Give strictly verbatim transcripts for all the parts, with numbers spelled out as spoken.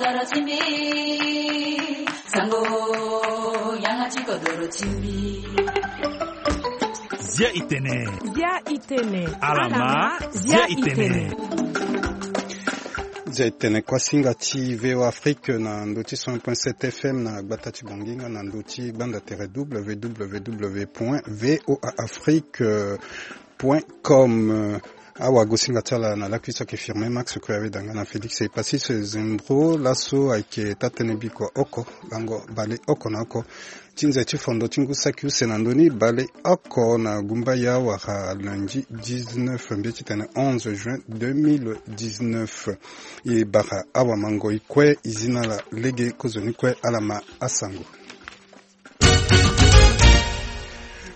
Doro ti mbi, sango, yanga ti kodoro ti mbi. Zia i tene. Zia i tene. Alama, zia i tene. Zia i tene, kuasinga ti V O Afrique na ndö ti cent point sept F M na gbata ti Bongi nga na ndö ti gbanda tere W W W point V O A Afrique point com. Awagosinga ti ala na lakui so ayeke Firmin Max Koyave Danga na Félix Epasis Zembro. Laso ayeke taa-tënë bikua oko, lango bale oko na oko ti nze ti fondo ti ngu saki use na ndö ni bale oko na gumbaya wala lundi dix-neuf, mbeti titene onze juin deux mille dix-neuf. E bara awamangoi kue, e zi na ala lege kozoni kue, ala ma asango.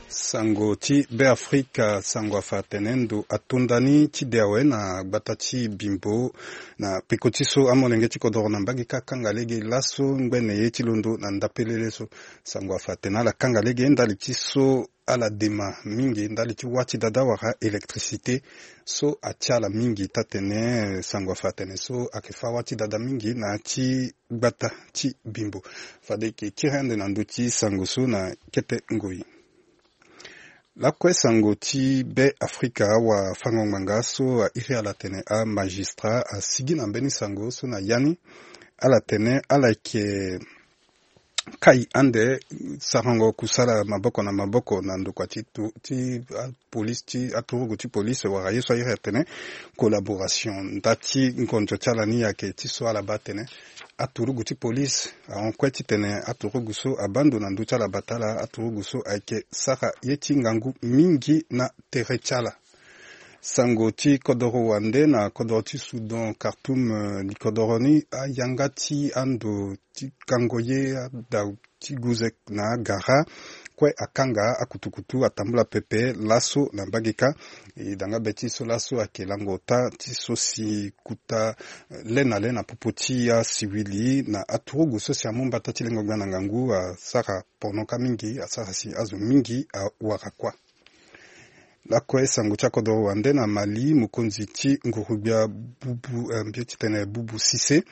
Sango ti Beafrika, sango afa atene ndo ato ndani ti de awe na gbata ti Bimbo na peko ti so amolenge ti kodoro na mbage kâ akanga lege laso ngbene ye ti londo na ndapelele so. Sango afa atene ala kanga lege ndali ti so ala dema mingi ndali ti wâ ti dada wala électricité so atia ala mingi. Taa-tënë, sango afa atene so ayeke fâ wâ ti dada mingi na ya ti gbata ti Bimbo. Fade e yeke kiri ande na ndö ti sango so na kete ngoi. Lakue sango ti Beafrika, awafango-ngbanga so a iri ala atene amagistrat asigi na mbeni sango so na ya ni. Ala tene ala yeke kai ande sarango kusala maboko na maboko na ndokua ti tu-, ti apolisi, ti aturugu ti polisi wala ye so a iri atene collaboration. Nda ti ngonzo ti ala ni ayeke ti so ala baa atene aturugu ti polisi ahon kue titene aturugu so abaa ndo na ndö ti ala bata ala, aturugu so ayeke sara ye ti ngangu mingi na tere ti ala. Sango ti kodoro wande na kodoro ti Soudan, Khartoum, eh, li kodoro ni ayanga ti ando ti kango ye, ada ti guze na agara kue akanga akutukutu atambula pepe laso na mbage kâ. E danga be ti so laso ayeke lango ota ti so si kuta, eh, le na le na popo ti asiwili na aturugu so si amu mbata ti lengo gbia na ngangu asara pono kâ mingi, asara si azo mingi awara kuâ. Lakue sango ti akodoro wande na Mali, mokonzi ti nguru-gbia Bubu, eh, mbi ye titene Bubu Cissé,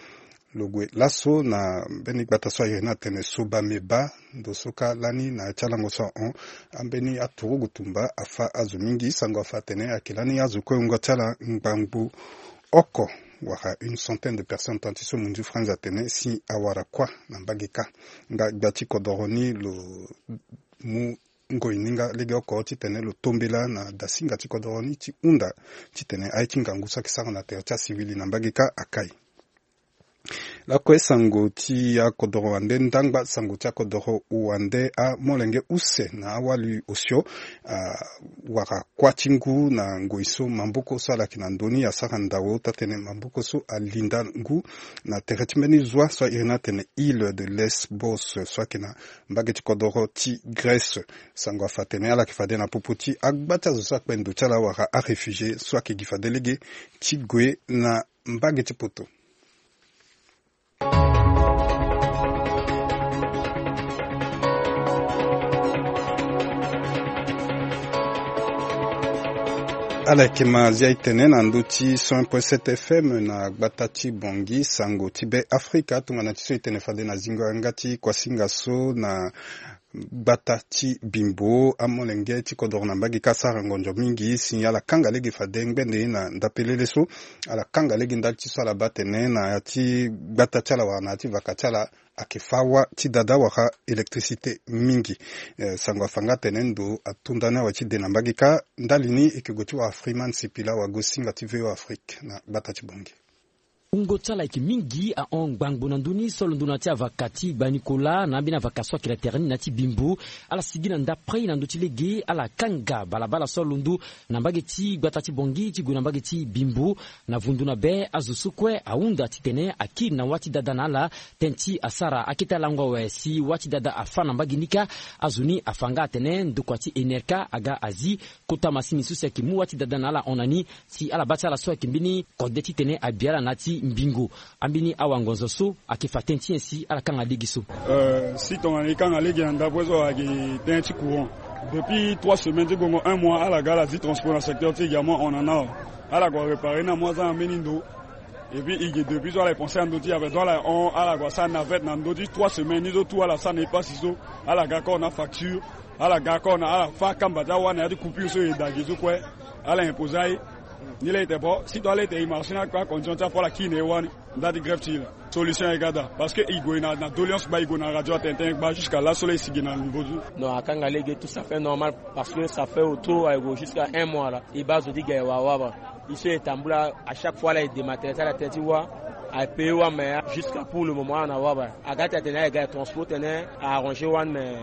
lo gue laso na mbeni gbata so a iri ni atene Soba Meba, ndo so kâ lani na ya ti alango so ahon, ambeni aturugu tumba afâ azo mingi. Sango afa atene ayeke lani azo kue wungo ti ala ngbangbo oko wala une centaine de personnes, tant ti so munzu franz atene si awara kuâ na mbage kâ. Nga gbia ti kodoro ni lo mu ngoi ni nga legeoko titene lo tombela na dasinga ti kodoro ni ti hunda titene aye ti ngangu so ayeke sara na tere ti asiwili na mbage kâ akai. Lakue sango ti akodoro wande, ndangba sango ti akodoro wande, amolenge use na awali osio, ah, wara kuâ ti ngu na ngoi so maboko so ala yeke na ndö ni asara ndao, taa-tënë maboko so alinda ngu na tere ti mbeni zwa so a iri ni atene Île de Lesbos so ayeke na mbage ti kodoro ti Grèce. Sango afa atene ala yeke fade na popo ti agba ti azo so akpe ndo ti ala wala aréfugié so ayeke gi fade lege ti gue na mbage ti poto. Ala yeke ma zia e tene na ndö ti cent point sept F M na gbata ti Bangui, sango ti Be Afrika. Tongana ti so e tene fade na zingo yanga ti kuasinga so na gbata ti Bimbo, amolenge ti kodoro na mbage ka asara ngonzo mingi si ala kanga lege fade ngbene na ndapelele so. Ala kanga lege ndali ti so ala baa atene na ya ti gbata ti ala wala na ya ti vaka ti ala ayeke fâ wâ ti dada wala électricité mingi. Eh, sango afa nga atene ndo ato ndani awe ti de na mbage ka. Ndali ni e yeke gue ti wara Freeman Sipila, wagosinga ti V O Afrique na gbata ti Bangui. Wungo ti ala ayeke mingi ahon ngbangbo na ndö ni so alondo na ya ti avaka ti Gba Nicolas na ambeni avaka so ayeke na tere ni na ya ti Bimbo. Ala sigi na ndapre na ndö ti lege, ala kanga balabala so alondo na mbage ti gbata ti Bangui ti gue na mbage ti Bimbo. Na vundu na be, azo so kue ahunda titene akiri na wâ ti dada na ala, tënë ti asara akete alango awe si wâ ti dada afâ na mbage ni ka. Azo ni afa nga atene ndokua ti Enerka aga azi kota masini so si ayeke mu wâ ti dada na ala hon na ni, si ala baa ti ala so ayeke mbeni kode titene abi ala na ya ti mbingo. Ambeni awangonzo so ayeke fa tënë ti nyen si ala kanga lege so? Euh, si tongana e kanga lege na ndapre so ayeke tënë ti courant. Depuis trois semaines ti gongo un mois, ala ga ala zi transport na secteur ti e ga mo hon na ni awe. Ala gue réparer ni amu aza na mbeni ndo. Et puis i ge depuis so ala e pensé na ndö ti ape, donc ala hon ala gue asara navette na ndö ti trois semaines ni so tout ala sara na e pasi so. Ala ga kor na facture, ala ga kor na ala fâ akamba ti awa na ya ti coupure so e da ge so kue. Ala imposé aye. Ni laa e tene bon si to ala e tene e marché na akpe acondition ti apo ala kiri na e wani. Nda ti grève ti e laa solution e ga daa parce que e gue na doléance gba e gue na radio atene tënë gba jusqu'à laso laa e si ge na niveau ti. Non, akanga lege tout ça fait normal. Parce que ça fait autour aye gue jusqu'à un mois laa. E baa zo ti ga e wara wara. E so e tambula à chaque fois laa e dématerialiser ala tënë ti wâ. Aye payer wâ mais jusqu'à pour le moment ala na wara. Aga ti atene aye ga e transport tene a arranger wani mais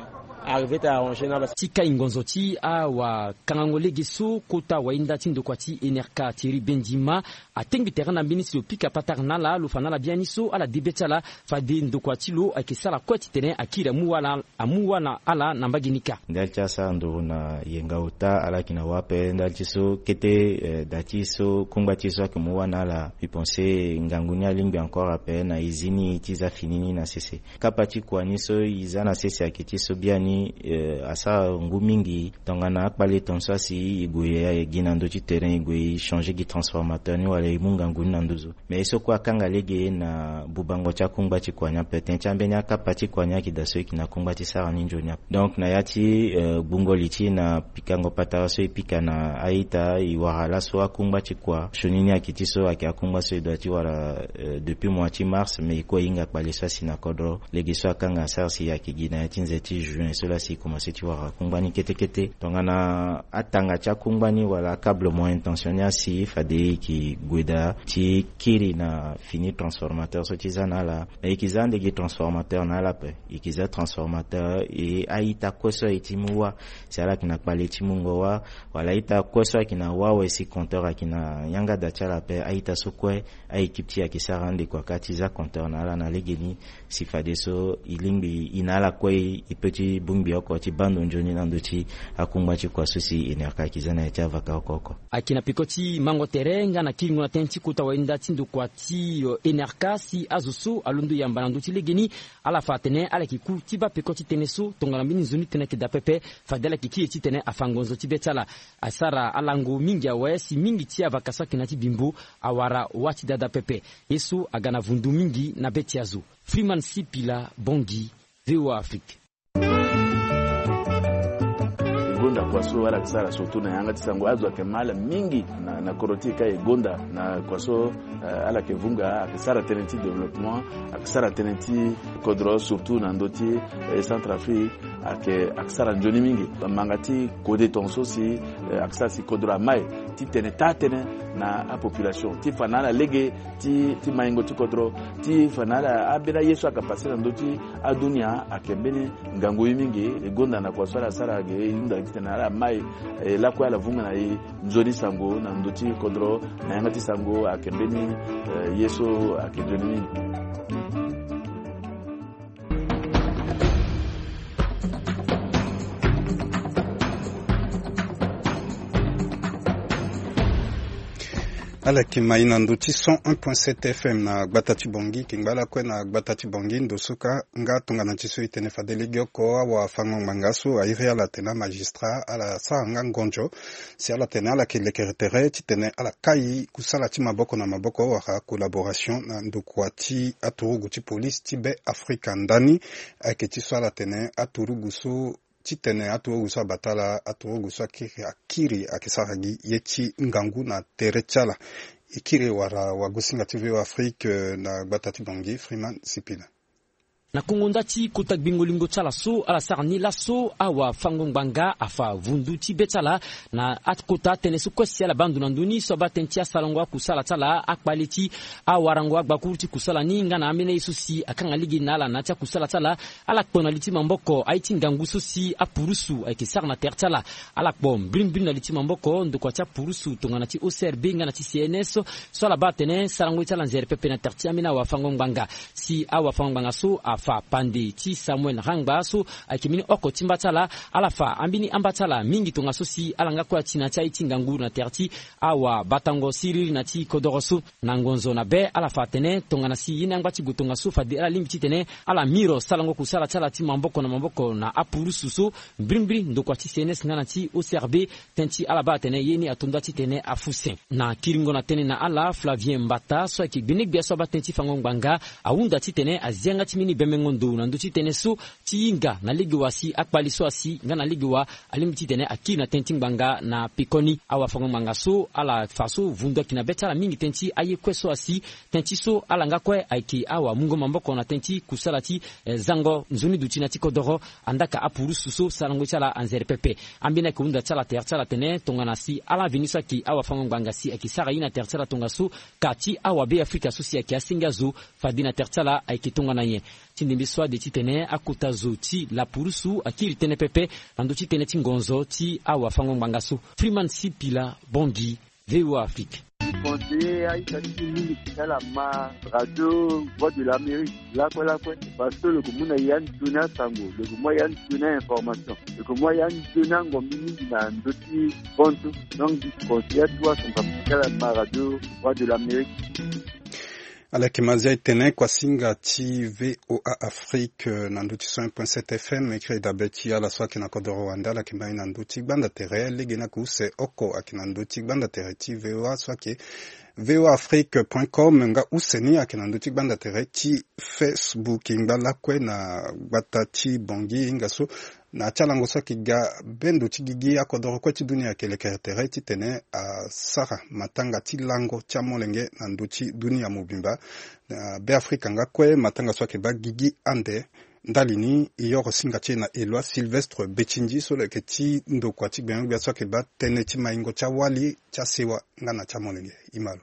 arrivé ti arranger na basi. Ti kai ngonzo ti awakangango lege so kota wainda ti ndokua ti Enerka Thierry Bendima atengbi tere na mbeni si lo pika patara na ala lo fa na ala biani so ala de be ti ala. Fade ndokua ti lo ayeke sara kue titene akiri amu wâ na ala na mbage ni kâ. Ndali ti asara nduru na yenga ota ala yeke na wâ ape ndali ti so kete, eh, da ti so kungba ti e so ayeke mu wâ na ala. Mbi pense ngangu ni alingbi encore ape na e zi ni ti za fini ni na sese. Kapa ti kua ni so e za na sese ayeke ti so biani, eh, asara ngu mingi. Tongana akpale ton so asi e gue e gi na ndö ti terrain e gue e changer gi transformateur ni wala e mu ngangu ni na nduzu. Mais ye so kue akanga lege na bubango ti akungba ti kua ni ape tënë ti ambeni akapa ti kua ni ayeke daa so e yeke na kungba ti sara ni nzoni ape. Donc na ya ti, eh, gbungo li ti e na pikango patara so e pika na a-ita e wara laso akungba ti kua sioni ni ayeke ti so ayeke akungba so e doit ti wara, eh, depuis mois ti mars mais e kue e hinga kpale so asi na kodro. Lege so akanga asara si ayeke gi na ya ti nze ti juin so laa si e komanse ti wara kungba ni kete kete. Tongana atanga ti akungba ni wala akablement intention ni asi fade e yeke gue daa ti kiri na fini transformateur so ti za na ala. E yeke za ande gi transformateur na ala ape. E yeke za transformateur e a-ita kue so aye ti mu wâ si ala yeke na kpale ti mungo wâ wala a-ita kue so ayeke na wâ awe si compteur ayeke na yanga da ti ala ape a-ita so kue. A-équipe ti e ayeke sara ande kua kâ ti za compteur na ala na legeni. Si fadeso e lingbi e na ala kue e peut ti bongbi oko ti baa ndo nzoni na ndö ti akungba ti kua so si Enerka ayeke za na ya ti avaka oko oko. Ayeke na peko ti mango tere nga na kiringo na tënë ti kota wainda ti ndokua ti, eh, Enerka si azo so alondo yamba na ndö ti legeni. Ala fa atene ala yeke ku ti baa peko ti tënë so tongana mbeni nzoni tënë ayeke daa pepe. Fade ala yeke kiri titene afa ngonzo ti be ti ala. Asara alango mingi awe si mingi ti avaka so ayeke na ya ti bimbo awara wâ ti dada pepe. Ye so aga na vundu mingi na be ti azo. Freeman Sipila, Bangui, V O A Afrique. E gonda kua so ala yeke sara surtout na yanga ti sango azo ayeke ma ala mingi na, na kodro ti e ka e gonda na kua so, eh, ala yeke vunga ayeke sara tënë ti développement. Ayeke sara tënë ti kodro surtout na ndö ti, eh, Centrafrique. Ayeke, ayeke sara nzoni mingi. Manga ti kode tongaso si, eh, ayeke sara si kodro amai titene taa tënë na apopulation ti fa na ala lege ti, ti maingo ti kodro ti fa na ala ambeni aye so ayeke passe na ndö ti adunia ayeke mbeni ngangu ye mingi. E gonda na kua so ala sara ge e hunda titene ala mai, eh, lakue ala vunga na e nzoni sango na ndö ti kodro na yanga ti sango ayeke mbeni, eh, ye so ayeke nzoni mingi. Ala yeke mai na ndö ti cent un point sept F M na gbata ti Bangui. Kingba lakue na gbata ti Bangui ndo so kâ nga tongana ti so e tene fade legeoko awafango-ngbanga so a iri ala atene amagistrat ala sara nga ngonzo si ala tene ala yeke lekere tere titene ala kai kusala ti maboko na maboko wala collaboration na ndokua ti aturugu ti police ti Be Afrika. Ndani ayeke ti so ala tene aturugu so titene aturugu so abata ala, aturugu so akiri, akiri ayeke sara gi ye ti ngangu na tere ti ala. E kiri wala wagosinga ti V O A Afrique, eh, na gbata ti Bangui, Freeman Sipila. Na kongo nda ti kota gbingo lingo ti ala so ala sara ni laso, awafango-ngbanga afa vundu ti be ti ala na akota atënë so kue si ala baa ndo na ndö ni so abaa tënë ti asarango akusala ti ala, akpale ti awarango agbakuru ti kusala ni nga na ambeni aye so si akanga lege na ala na ya ti akusala ti ala. Ala kpo na li ti maboko aye ti ngangu so si apurusu ayeke sara na tere ti ala. Ala kpo mbirimbiri na li ti maboko ndokua ti apurusu tongana ti O C R B nga na ti C N S so ala baa atene sarango ye ti ala nzere pepe na tere ti ambeni awafango-ngbanga. Si awafango-ngbanga so a Fa pande ti Samuel Rangba so ayeke mbeni oko ti mba ti ala, ala fa ambeni amba ti ala mingi tongaso si ala nga kue ati na ti aye ti ngangu na tere ti awabatango siriri na ti kodoro so. Na ngonzo na be ala fa atene tongana si ye ni angba ti gue tongaso fade ala lingbi titene ala miro sarango kusala ti ala ti maboko na maboko na apurusu so, mbirimbiri ndokua ti C N S nga na ti O C R B, tënë ti ala baa atene ye ni ato nda titene afu se. Na kiringo na tënë na ala, Flavien Mbata so ayeke gbenegbia so abaa tënë ti fango ngbanga ahunda titene azi yanga ti mbeni bembengo ndo na ndö ti tënë so ti hinga na lege wa si akpali so asi nga na lege wa alingbi titene akiri na tënë ti ngbanga na pekoni. Awafango ngbanga so ala fa so vundu ayeke na be ti ala mingi tënë ti aye kue so asi, tënë ti so ala nga kue ayeke awamungo maboko na tënë ti kusala ti, eh, zango nzoni duti na ti kodoro, andaka apurusu so sarango ti ala anzere pepe. Ambeni ayeke hunda ti ala tere ti ala atene tongana si ala veni so ayeke awafango ngbanga si ayeke sara ye na tere ti ala tongaso, ka ti awabeafrika so si ayeke asenge azo fade na tere ti ala ayeke tongana nyen. Ti ndembe so ade titene akota zo ti lapurusu akiri tënë pepe na ndö ti tënë ti ngonzo ti awafango ngbanga so. Freeman Sipila Bongi, V O A Afrique. Conseiller aita ti mingi ti ala ma radio Voix de l'Amérique lakue lakue, parce que lo yeke mu na ya nzoni asango, lo yeke mu ya nzoni information, lo yeke mu ya nzoni angombi mingi na ndö ti bonso. Donc, conseiller atu asango ti ala ma radio Voix de l'Amérique. Ala yeke ma zia e tene kuasinga ti V O A Afrique, eh, na ndö ti cent un point sept F M, e kiri dabe ti ala so ayeke na kodoro wande, ala yeke ma e na ndö ti gbanda tere. Lege ni ayeke use oko ayeke na ndö ti gbanda tere ti V O A so ayeke V O A Afrique point com, nga use ni ayeke na ndö ti gbanda tere ti Facebook. Ngba lakue na gbata ti Bangui, hinga so na ya ti alango so ayeke ga bendo ti gigi akodoro kue ti dunia ayeke lekere tere titene asara matanga ti lango ti amolenge na ndö ti dunia mobimba. Na Beafrika nga kue matanga so ayeke baa gigi ande. Ndali ni e yoro singa ti e na Eloi Sylvestre Betindji so lo yeke ti ndokua ti gbenyogbia so ayeke baa tënë ti maingo ti awali ti asewa nga na ti amolenge. E ma lo.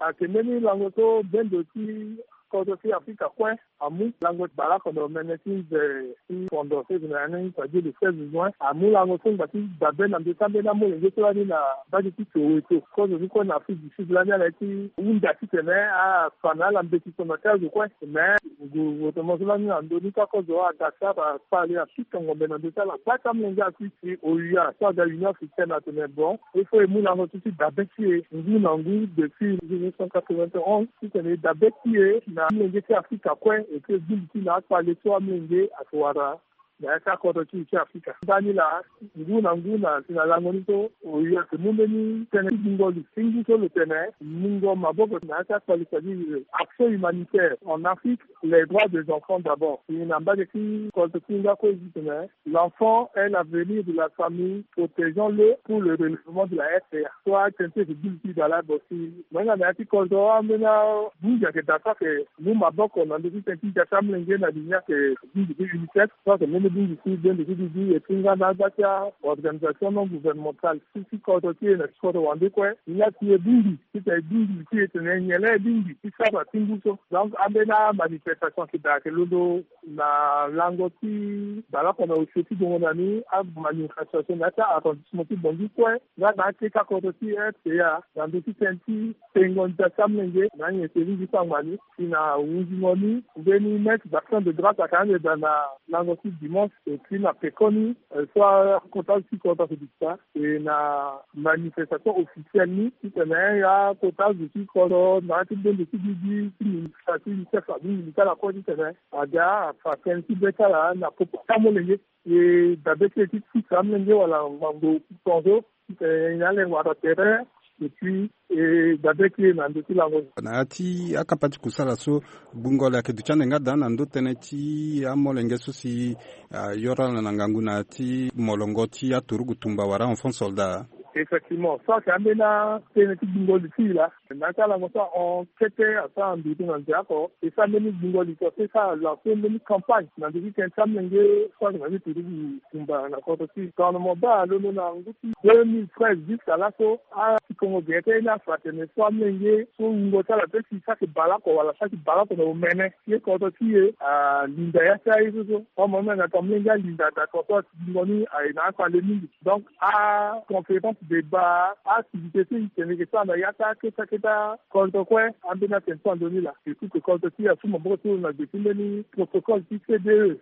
Ayeke mbeni lango so bendo ti kodro ti Afrika kue amu lango ti baleoko na omene ti nze ti fondo so e yeke na ya ni, c'est-à-dire le seize juin. Amu lango so ngba ti dabe na ndö ti ambeni amolenge so lani na mbage ti Soweto. Kozo ni kue na Afrique du Sud lani ala ye ti hunda titene afa na ala mbeti so na ti azo kue. Mais gouvernement so lani na ndö ni kue akozo aga ti ala kpale, akita ngombe na ndö ti ala. Gba ti amolenge akui si O U A so aga Union Africaine atene bon, il faut e mu lango so ti dabe ti e ngu na ngu depuis mille neuf cent quatre-vingt-onze, titene e dabe ti e na amolenge ti Afrika kue, e ke gbingi ti na akpale so amolenge ayeke wara na ya ti akodro ti e ti Afrika. Ndani laa, ngu na ngu na si na lango ni so, O U A ayeke mu mbeni tënë ti gbungo li ti ngu so lo tene mungo maboko na ya ti akpale, c'est-à-dire action humanitaire en Afrique, les droits des enfants d'abord. E na mbage ti kodro ti e nga kue e zi tene, l'enfant est l'avenir de la famille, protégeons-le pour le relèvement de la R C A. So atene ti e yeke gbu li ti dala bo si mo hinga na ya ti kodro ambeni abungi ayeke daa so ayeke mu maboko na ndö ti tënë ti ndia ti amolenge na li ni ayeke bungbi ti UNICEF, so ayeke mbeni bungbi ti bendo ti dudu, et puis nga na agba ti a-organisation non gouvernementale ti ti kodro ti e na ti kodro wande kue. Ni laa si e bungbi titene e bungbi li ti e tene nyen laa e bungbi ti sara ti ngu so. Donc ambeni amanifestation ayeke daa ayeke londo na lango ti baleoko na osio ti gongo na ni, amanifestation na ya ti a-arrondissement ti Bangui kue nga na akete akodro ti R C A na ndö ti tënë ti tengo ndia ti amolenge na anyen ti e lingbi ti angba ni. Si na hunzingo ni, mbeni messe d'action de grâce ayeke ande daa na lango ti dimanche, et puis na pekoni, eh, so akota ti kodro ayeke duti daa. E na manifestation officielle ni titene akota zo ti kodro na ya ti bendo ti gigi ti ministre ti UNICEF abongbi li ti ala kue titene aga afa tënë ti be ti ala na popo ti amolenge. E dabe ti e ti sisa amolenge wala ngangu tongaso, titene nyen ala wara tere, et puis e dabe ti e na ndö ti lango. Na ya ti akapa ti kusala so, gbungo li ayeke duti ande nga daa na ndö tënë ti amolenge so si ayoro ala na ngangu na ya ti molongo ti aturugu tumba wala enfant soldat. Effectivement, so ayeke ambeni atënë ti gbungo li ti e laa. Na ya ti alango so ahon kete asara ndutu na nze oko, e sara mbeni gbungo li so, e sara lancer mbeni campagne na ndö ti tënë ti amolenge so ayeke na ya ti turugu tumba na kodro ti e. Tongana mo baa londo na ngu ti deux mille treize jusqu'à laso, atikongo gere ti aye ni afa atene so amolenge so wungo ti ala pe si so ayeke baleoko wala so ayeke baleoko na omene ti kodro ti e, alinda ya ti aye so so. Amono na tongana amolenge alinda daa tongaso, atingo ni aye na akpale mingi. Donc aconférence, débat, activité so e tene e yeke sara na ya ti akete akete Ata kodro kue ambeni atene so ando ni laa. Ekupe kodro ti e asu maboko ti lo na gbe ti mbeni protocole ti C D E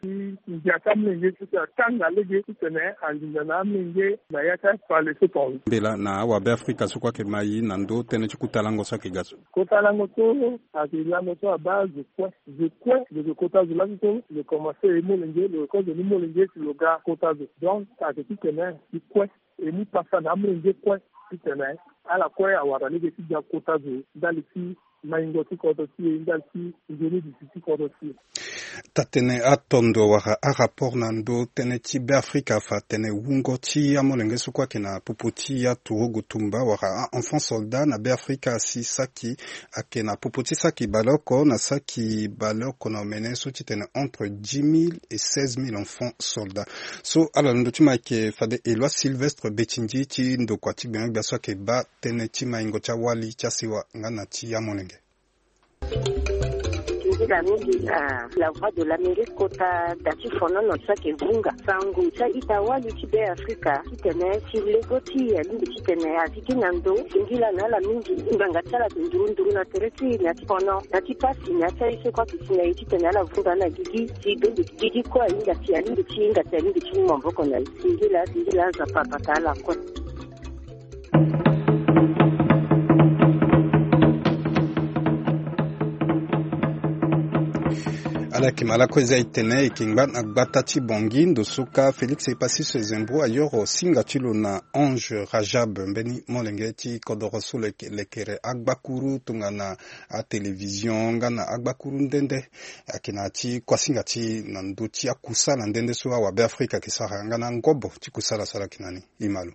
ti ngia ti amolenge ti tene atanga lege titene anginza na amolenge na ya ti akpale so tonga. Mbela na awabe afrika so kue ayeke ma e na ndö tënë ti kota lango so ayeke ga so. Kota lango so ayeke lango so abaa zo kue. Zo kue lo yeke kota zo laso so lo komanse e molenge, lo yeke kozo ni molenge si lo ga kota zo. Donc ayeke titene e kue e mu pasa na amolenge kue titene ala kue awara lege ti ga kota zo ndali ti maingo ti kodro ti e, ndali ti nzoni duti ti kodro ti e. Taa-tënë atondo wala arapport na ndö tënë ti Beafrika afa atene wungo ti amolenge so kue ayeke na popo ti aturugu tumba wala a-enfant soldat na Beafrika asi saki, ayeke na popo ti saki baleoko na saki baleoko na omene so titene entre dix mille et seize mille enfants soldats. So ala na ndö ti mo ayeke fade Eloi Sylvestre Betindji ti ndokua ti gbenyogbia so ayeke baa tënë ti maingo ti awali ti asewa nga na ti amolenge. Nzila mingi na la voix de l'Amérique kota da ti fonono so ayeke vunga sango ti a-ita wali ti Beafrika titene si lego ti e alingbi titene azi gi na ndo singila na ala mingi. Ngbanga ti ala ayeke nduru nduru na tere ti e na ti fono na ti pasi na ya ti aye so kue ayeke si na e titene ala vunga na gigi si donde gigi kue ahinga si alingbi ti hinga si alingbi ti mu maboko na e. Singila singila Nzapa abata ala kue. Ala yeke ma lakue eza etene e yeke ngba na gbata ti Bangui ndo so ka Félix Epassus Zembro ayoro singa ti lo na Ange Rajab, mbeni molenge ti kodoro so lo yeke lekere agbakuru tongana atélévision nga na agbakuru nde nde. Ayeke na ti kuasinga ti na ndö ti akusala nde nde so awabe afrika ayeke sara nga na ngobo ti kusala so ala yeke na ni. Imalo.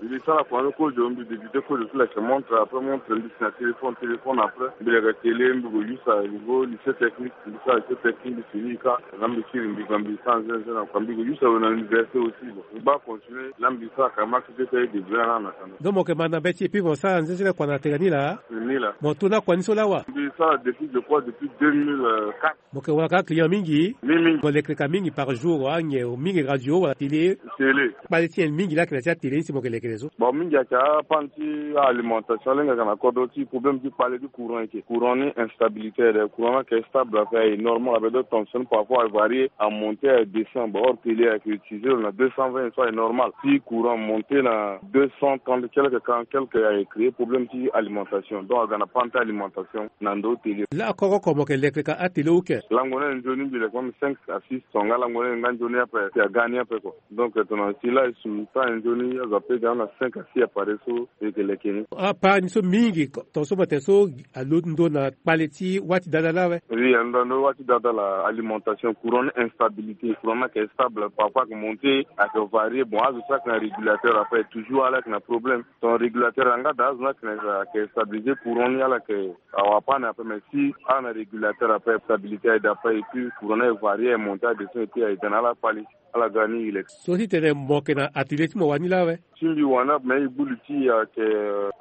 Mbi sara kua ni kozo, mbi débuté kozo ti leke montre, après montre mbi si na téléphone, téléphone après mbi leke télé, mbi ko use à niveau lycée technique, mbi sara lycée technique, mbi fini ka. Na mbi kiri mbi ga mbi sara nzenze na kua, mbi ko use awe na université aussi. Bon, mbi baa continuer na mbi sara ka ma kete ti aye débrouiller na na kanda. Donc mo yeke ma na be ti et puis mo sara nzenze na kua na tene ni laa. Ni laa. Mo to na kua ni so laa wa? Mbi sara depuis, je crois, depuis deux mille quatre. Mo yeke wara ka client mingi? Mingi mingi. Mo lekere ka mingi par jour, anyen mingi radio wala télé? Télé. Kpale ti nyen mingi laa ayeke na ti atélé ni si mo yeke lekere so? Bon, mingi ayeke apane ti alimentation, lenge ayeke na kodro ti problème ti kpale ti courant ayeke. Courant ni instabilité aye, courant ni ayeke stable, ayeke aye normal, ape donc tension parfois ayeke varier, amonte, aye descend. Bon, or télé ayeke utiliser lo na deux cent vingt so aye normal. Si courant monte na deux cent trente quelque, quarante quelque, ayeke créer problème ti alimentation. Donc aga na panne ti alimentation na ndo télé. Laa koko oko mo yeke lekere ka atélé ou ke? Lango ni aye nzoni mbi leke même cinq à six tonga, lango ni aye nga nzoni ape si aga ni ape kua. Donc tongana si laa e su temps aye nzoni azo ape ga na cinq à six appareil so e yeke leke ni. Apart ni so mingi tonga so mo tene so alondo na kpale ti wâ ti dada laa awe? Oui, alondo na wâ ti dada laa, alimentation, courant ni instabilité, courant ni ayeke stable, parfois ayeke monte, ayeke varier. Bon, azo so ayeke na régulateur ape toujours ala yeke na problème. Ton régulateur anga daa azo ni ayeke na, ayeke stabiliser courant ni, ala yeke awa panne ape, mais si ala na régulateur ape stabilité aye daa ape et puis courant ni aye varier, aye monte, aye descend et puis aye daa na ala kpale. Ala ga ni e leke. So ti tene mo yeke na atelier ti mo wani laa awe? Ti mbi wani ape, mais e gbu li ti e ayeke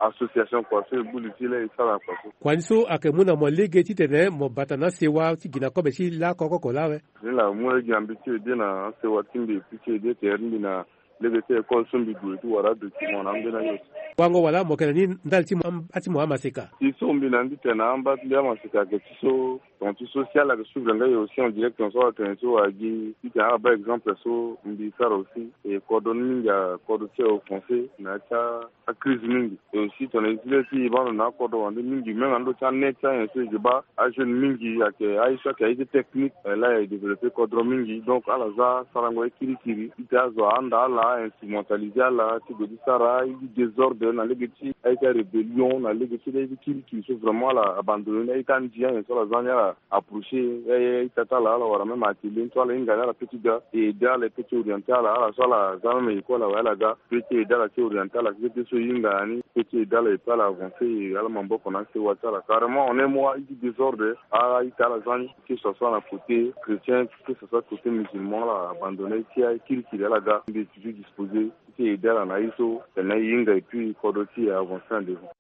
association kua so e gbu li ti e laa e sara kua so. Kua ni so ayeke mu na mo lege titene mo bata na asewa ti gi na kobe ti laa koko oko laa awe? Ni laa mu lege na mbi ti aider na asewa ti mbi et puis ti aider tere ti mbi na lege ti école so mbi gue ti wara adocument na ambeni aye. Wango wala mo yeke na ni ndali ti mo amba ti mo amaseka? Ti so mbi na ni titene amba ti mbi amaseka ayeke ti so, ton ti so si ala yeke suivre nga e aussi en direct, ton so ala tene so wala gi titene ala baa exemple so mbi sara aussi. E kodro ni mingi akodro ti e offensé na ya ti a acrise mingi. Et aussi tongana e zi le ti e baa ndo na akodro wande mingi même na ndö ti anet ti anyen so e ke baa ajeune mingi ayeke aye so ayeke aye ti technique, eh, laa e développé kodro mingi. Donc ala za sarango ye kirikiri ti tene azo ahanda ala, ainstrumentalisé ala ti gue ti sara aye ti désordre na lege ti aye ti arébellion, na lege ti aye ti kirikiri so vraiment ala abandonné ni. Aye ti andi anyen so ala za ni ala approché aye, aye ti ata ala, ala wara même atelier ni so ala hinga ni ala peut ti ga e aidé ala, e peut ti orienté ala. Ala so ala za même école awe ala ga, peut ti aidé ala ti orienté ala, peut ti so e hinga na ni, peut ti aidé ala et puis ala avancé, e ala maboko na asewa ti ala. Carrément en un mois aye ti désordre, a, aye ti ala za ni, que ce soit na côté chrétien, que ce soit côté musulman, ala abandonné ti aye kirikiri, ala ga, mbi toujours disposé ti aidé ala na aye so tene e hinga et puis kodro ti e avancé en devant.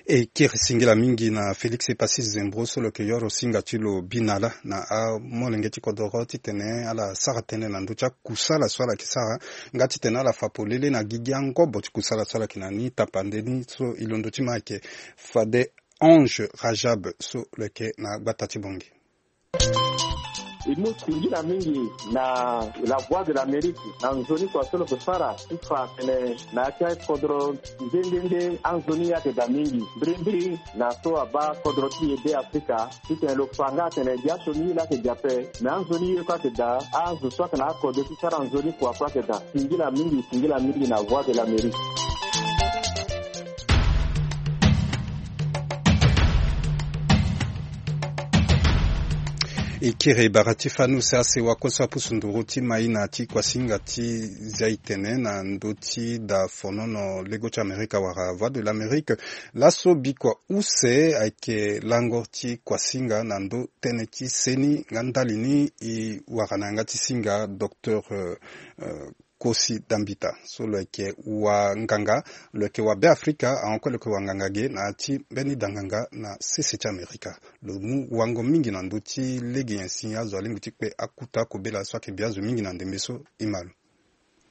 E kiri singila mingi na Félix Epassis Zembro so lo yeke yoro singa ti lo binala na amolenge ti kodoro titene ala sara tënë na ndö ti akusala so ala yeke sara, nga titene ala fa polele na gigi angobo ti kusala so ala yeke na ni tapande ni. So e londo ti ma ayeke fade Ange Rajab so lo yeke na gbata ti Bangui. E mu singila mingi na La Voix de l'Amérique na nzoni kua so lo yeke fara ti fa tene na ya ti akodro nde nde nde anzoni ayeke daa mingi mbirimbiri na so abaa kodro ti e Be Afrika titene lo fa nga atene gi asioni ye laa ayeke gi ape. Me anzoni ye kue ayeke daa, azo so ayeke na akodro ti sara nzoni kua kue ayeke daa. Singila mingi, singila mingi na Voix de l'Amérique. E kiri bara ti fanu se asewa kue so apusu nduru ti maïna ti kuasinga ti zia e tene na ndö ti da fonono lego ti Amerika wala Voix de l'Amérique. Laso bikua use ayeke lango ti kuasinga na ndö tënë ti seni nga ndali ni e wara na yanga ti singa docteur, euh, euh, Kosi Dambita so lo yeke wanganga, lo yeke wa Be Afrika, ahon kue lo yeke wanganga ge na ya ti mbeni danganga na sese ti Amerika. Lo mu wango mingi na ndö ti lege nyen si azo alingbi ti kpe akuta kobela so ayeke bi azo mingi na ndembe so, e ma lo.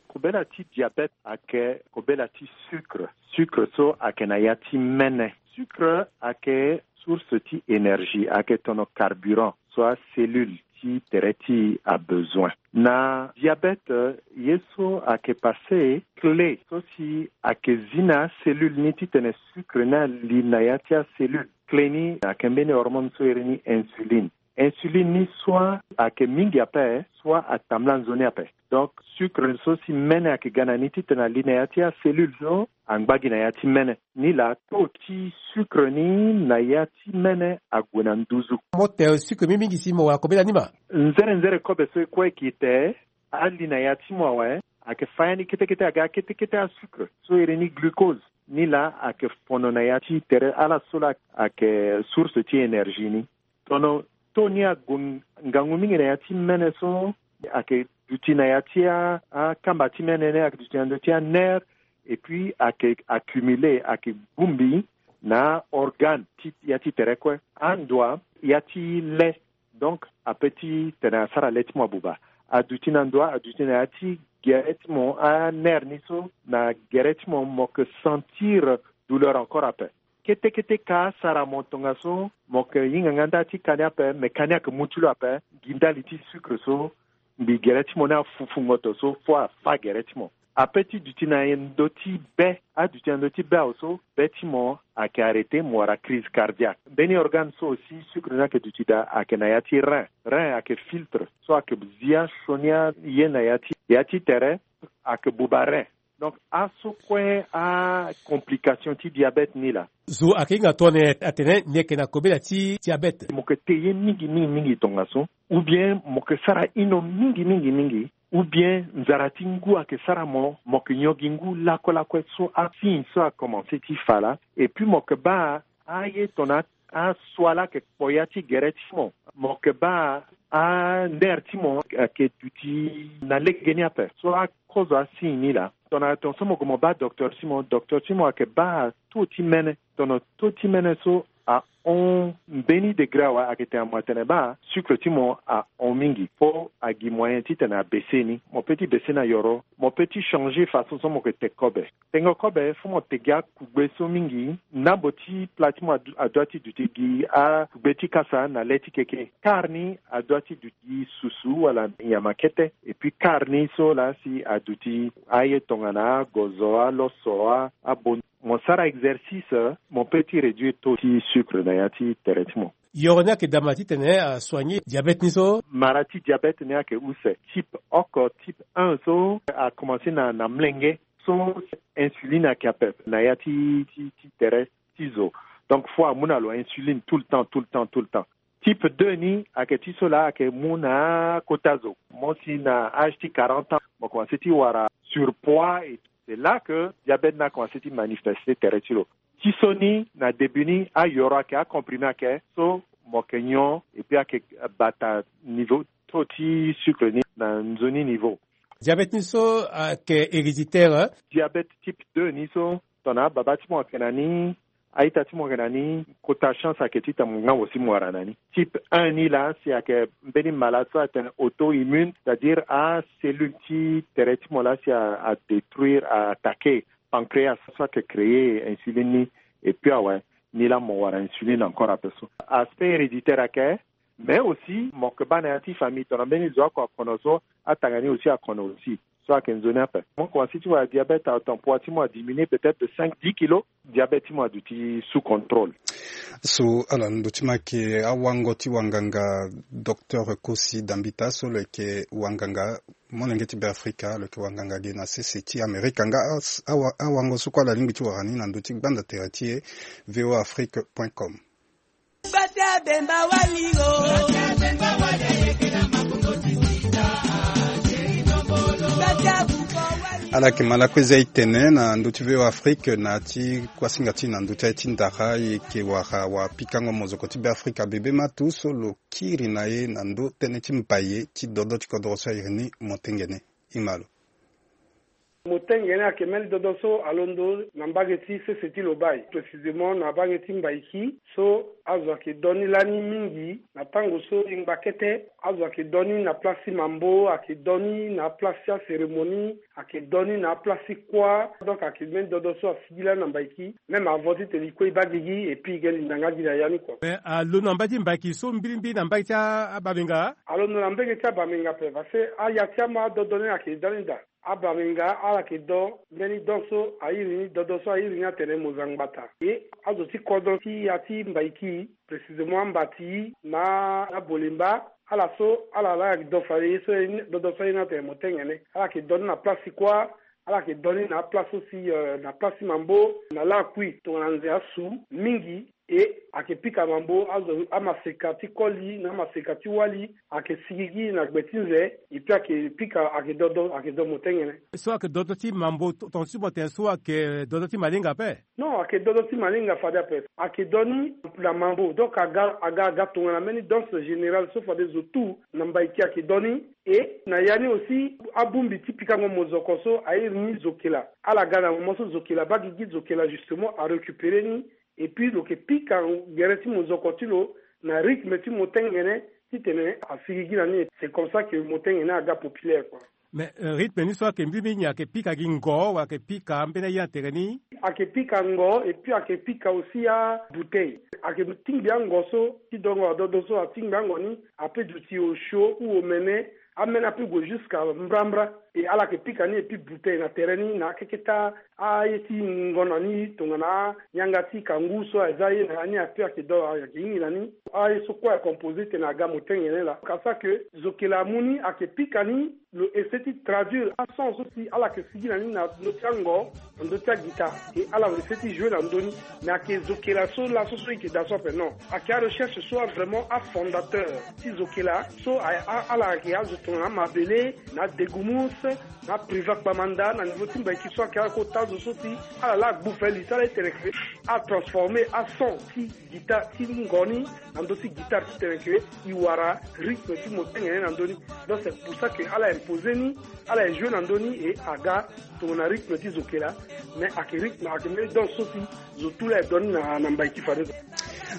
Kobela ti diabète ayeke kobela ti sucre. Sucre so ayeke na ya ti mene. Sucre ayeke source ti énergie, ayeke tono carburant so acellule ti tere ti e abezoin. Na diabète, ye so ayeke passé, clé so si ayeke zi na acellule ni titene sucre ni ali na ya ti acellule. Clé ni ayeke mbeni hormone so iri ni insuline. Insuline ni soit ayeke mingi ape, soit atambula nzoni ape. Donc, sucre so si mene ayeke ga na ni titene ali na ya ti acellule so angba gi na ya ti mene. Ni laa taux ti sucre ni na ya ti mene ague na nduzu. Mo te sucre mingi mingi si mo wara kobela ni ma. Nzere nzere kobe so e kue e gi te, ali na ya ti mo awe, ayeke fa ya ni kete kete aga kete kete asucre so iri ni glucose. Ni laa ayeke fono na ya ti tere ala so laa ayeke source ti énergie ni. Tono taux ni ague ngangu mingi na ya ti mene so ayeke duti na ya ti a, akamba ti mene ni ayeke duti na ndö ti anerf, et puis ayeke accumulé, ayeke bongbi na aorgane ti ya ti tere kue. Andoa ya ti le, donc ape titene asara le ti mo abuba. Aduti na ndoa, aduti na ya ti gere ti mo, anerf ni so na gere ti mo, mo yeke sentir douleur encore ape. Kete kete ka asara mo tongaso, mo yeke hinga nga nda ti ka ni ape, me ka ni ayeke mu ti lo ape. Gi ndali ti sucre so mbi gere ti mo ni afufu ngoto so fo afa gere ti mo. Ape ti duti na ndö ti be, aduti na ndö ti be awe so be ti mo ayeke arrêté, mo wara crise cardiaque. Mbeni organe so aussi sucre ni ayeke duti daa ayeke na ya ti rein. Rein ayeke filtre so ayeke zi asioni aye na ya ti, ya ti tere, ayeke buba rein. Donc aso kue acomplication ti diabète ni laa. Zo ayeke hinga tongana nyen atene ni yeke na kobela ti diabète? Mo yeke te ye mingi mingi mingi tongaso, ou bien mo yeke sara hino mingi mingi mingi, ou bien nzara ti ngu ayeke sara mo, mo yeke nyon gi ngu lakue lakue so asigne so akomanse ti fa laa. Et puis mo yeke baa aye tongana aso ala yeke kpo ya ti gere ti mo. Mo yeke baa anerf ti mo ayeke duti na legeni ape. So akozo asigne ni laa, tongana tongaso mo gue mo baa docteur ti mo, docteur ti mo ayeke baa taux ti mene. Tongana taux ti mene so ahon mbeni degré awe, ayeke tene mo atene baa sucre ti mo ahon mingi. Fo agi moyen titene abaisse ni. Mo peut ti baisse na yoro, mo peut ti changer façon so mo yeke te kobe. Tengo kobe, fo mo te gi akugbe so mingi. Ndambo ti pla ti mo adu-, adua ti duti gi akugbe ti kasa na le ti keke. Quart ni adua ti duti gi susu wala nyama kete. Et puis quart ni so laa si aduti aye tongana agozo, aloso, a, abon. Mo sara exercice, mo peut ti réduire taux ti sucre na ya ti tere ti mo. Yoro ni ayeke daa ma titene asoigner diabète ni so? Mara ti diabète ni ayeke use. Type oko, type un so akomanse na, na molenge. So insuline ayeke ape na ya ti, ti, ti tere ti zo. Donc fo amu na lo insuline tout le temps, tout le temps, tout le temps. Type deux ni ayeke ti so laa ayeke mu na akota zo. Mo si na âge ti quarante ans, mo komanse ti wara surpoids et c'est là que diabète ni akomanse ti manifester tere ti lo. Ti so ni na début ni ayoro ayeke, acomprimé ayeke, so mo yeke nyon et puis ayeke bata niveau taux ti sucre ni na nzoni niveau. Diabète ni so ayeke héréditaire? Diabète type deux ni so, tongana ababa ti mo ayeke na ni, A-ita ti mo yeke na ni, kota chance ayeke ti tene mo nga mo si mo wara na ni. Type un ni laa si ayeke mbeni malade so atene auto-immune, c'est-à-dire acellule ti tere ti mo laa si a, a détruire, a attaquer pancréas so ayeke créer insuline ni. Et puis awe, ni laa mo wara insuline encore ape so. Aspect héréditaire ayeke, mais aussi mo yeke baa na ya ti famille tongana mbeni zo oko akono so, atanga ni aussi akono aussi. So ayeke nzoni ape. Mo commencer ti wara diabète, atanpoi ti mo a diminuer peut-être de cinq, dix kilos. Diabète ti mo aduti sous contrôle. So ala ndo ti mo ayeke awango ti wanganga, Docteur Kosi Dambita so lo yeke wanganga molenge ti Beafrika, lo yeke wanganga ge na sese ti Amerika. Nga as-, awa-, awango so kue ala lingbi ti wara ni na ndo ti gbanda tere ti e, V O A Afrique point com. Ala yeke ma lakue za e tene na ndö ti V O A Afrique na ti kuasinga ti na ndö ti aye ti ndara, e yeke wara wapikango mozoko ti Beafrika Bebe Matou so lo kiri na e na ndö tënë ti mbaye ti dodo ti kodro so a iri ni Motengene. E ma lo. Motengene ayeke mbeni dodo so alondo na mbage ti sese ti Lobaye, précisément na mbage ti Mbaiki, so azo ayeke do ni lani mingi na tango so e ngba kete. Azo ayeke do ni na place ti mambo, ayeke do ni na place ti acérémonie, ayeke do ni na place ti kuâ. Donc ayeke mbeni dodo so asigi lani na Mbaiki, même avant ti tene e kue e baa gigi, et puis e ge linda nga gi na ya ni kua. Mais alondo na mbage ti Mbaiki so mbirimbiri na mbage ti a-, abamenga? Alondo na mbage ti abamenga ape, parce que aya ti ama adodo ni ayeke da ni daa. Abamenga ala yeke do mbeni don so a iri ni, dodo so a iri ni atene Mozangbata. E azo ti kodro ti ya ti Mbaiki, précisément Ambati na, na Bolemba, ala so ala laa ayeke do fade ye so, dodo so a iri ni atene Motengene. Ala yeke do ni na place ti kuâ, ala yeke do ni na aplace so si, euh, na place ti mambo, na lakui tongana nze asu mingi. E ayeke pika mambo, azo amaseka ti koli na amaseka ti wali ayeke sigigi na gbe ti nze. Et puis ayeke pika, ayeke dodo, ayeke do Motengene. So ayeke dodo ti mambo, to-, tongaso ti mo tene so ayeke dodo ti malinga ape? Non, ayeke dodo ti malinga fade ape. Ayeke do ni na mambo, donc aga, aga, aga tongana mbeni danse générale so fade zo tout na Mbaiki ayeke do ni. E na ya ni aussi abongbi ti pikango mozoko so a iri ni Zokela. Ala ga na moment so Zokela baa gigi, Zokela justement arécupérer ni. Et puis lo yeke pika gere ti mozoko ti lo na rythme ti Motengene, titene asigigi na ni. C'est comme ça que Motengene aga populaire, quoi. Mais, euh, rythme ni so ayeke mbirimbiri ni ayeke pika gi ngo, wala ayeke pika mbeni aye na tere ni? Ayeke pika ngo, et puis ayeke pika aussi abouteille. Ayeke tingbi ango so ti dongo adodo so atingbi ango ni, ape duti osio ou omene, ameni ape gue jusqu'à mbrambra. E ala yeke pika ni, et puis bouteille na tere ni na akeketa aye ti ngonda ni tongana yanga ti kangu so aza ye na ya ni ape ayeke do, ayeke hingi na ni. Aye so kue ayeke composé tene aga Motengene laa. Ka ça que Zokela amu ni ayeke pika ni, lo essayer ti traduire ason so si ala yeke sigi na ni na ndö ti ango, na ndö ti aguitare. E ala essayer ti jouer na ndö ni. Mais ayeke Zokela so laso so e yeke daa so ape, non. Ayeke arecherche so a vraiment afondateur ti Zokela so a, a, ala yeke azo tongana Mabele, na Degumus, na Priva Kpamanda, na niveau ti Mbaiki so ayeke akota zo so si ala laa agbu fali ti ala ti tene ke atransformer ason ti guitare ti ngo ni na ndö ti guitare ti tene ke e wara rythme ti Motengene na ndö ni. Donc c'est pour ça que ala imposer ni, ala e jouer na ndö ni et aga tongana rythme ti Zokela. Mais ayeke rythme, ayeke mbeni danse so si zo tout laa e do ni na, na Mbaiki fade.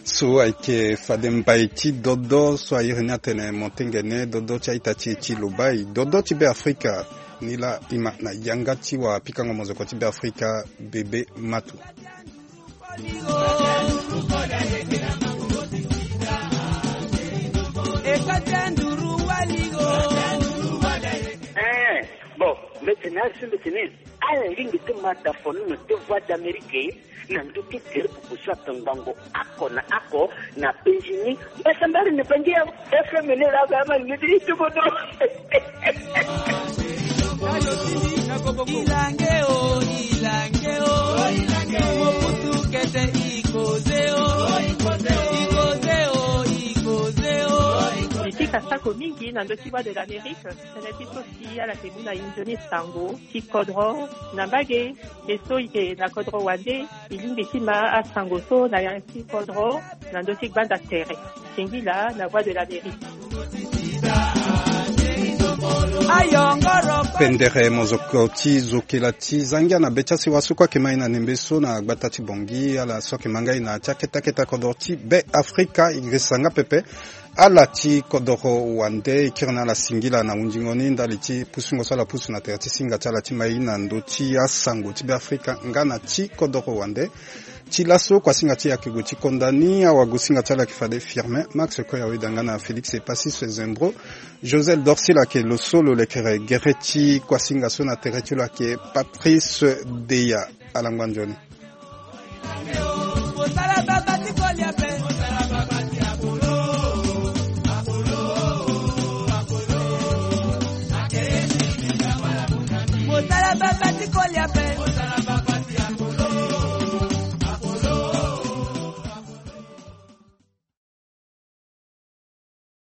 So ayeke fade mbai ti dodo so a iri ni atene Motengene, dodo ti a-ita ti e ti Lobaye, dodo ti Beafrika. Ni laa e ma na yanga ti wapikango mozoko ti Beafrika, Bebe Matou. Eh, bon, mbi tene, mbi tene ala lingbi ti ma da fo ni na ndö ti Voix d'Amérique, na ndö ti groupe so atongbango oko na oko na penzi ni. Mbasambala na bangi ya F M ni laa, ba ma ni ti tukutu. Ilange o, ilange o, Mobutu kete ikoze o, ikoze o, ikoze o. Mbi pika sako mingi na ndö ti Voix de l'Amérique, tënë ti so si ala yeke mu na e nzoni sango ti kodro na mbage. E so e yeke na kodro wande, e lingbi ti ma asango so na ya ti kodro na ndö ti gbanda tere. Singila na Voix de l'Amérique. Pendere mozoko ti zokela ti zangia na be ti asiwa so kue ayeke ma ye na nembe so na gbata ti bongi ala so ayeke ma ngai na ti akete akete kodoro ti be afrika e gesa nga pepe. Ala ti kodoro wande e kiri na ala singila na hundingo ni ndali ti pusungo so ala pusu na tere ti singa ti ala ti ma ye na ndö ti asango ti be afrika nga na ti kodoro wande. Ti laso kuasinga ti e ayeke gue ti konda ni awagosinga ti ala ayeke fade firmin max koya weda nga na félix epasis zembro. Josel dorsila ayeke lo so lo lekere gere ti kuasinga so na tere ti lo ayeke patrice deya. Alangba nzoni.